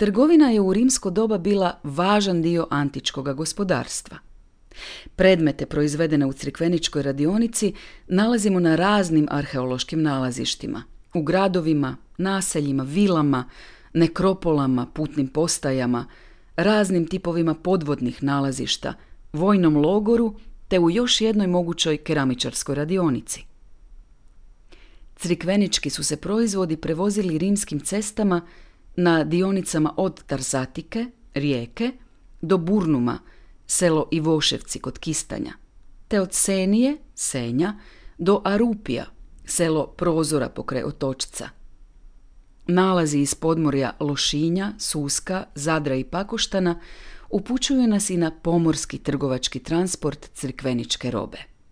Trgovina je u rimsko doba bila važan dio antičkog gospodarstva. Predmete proizvedene u crikveničkoj radionici nalazimo na raznim arheološkim nalazištima, u gradovima, naseljima, vilama, nekropolama, putnim postajama, raznim tipovima podvodnih nalazišta, vojnom logoru te u još jednoj mogućoj keramičarskoj radionici. Crikvenički su se proizvodi prevozili rimskim cestama na dionicama od Tarzatike, Rijeke, do Burnuma, selo Ivoševci kod Kistanja, te od Senije, Senja, do Arupija, selo Prozora pokraj Otočca. Nalazi iz podmorja Lošinja, Suska, Zadra i Pakoštana upućuju nas i na pomorski trgovački transport crikveničke robe.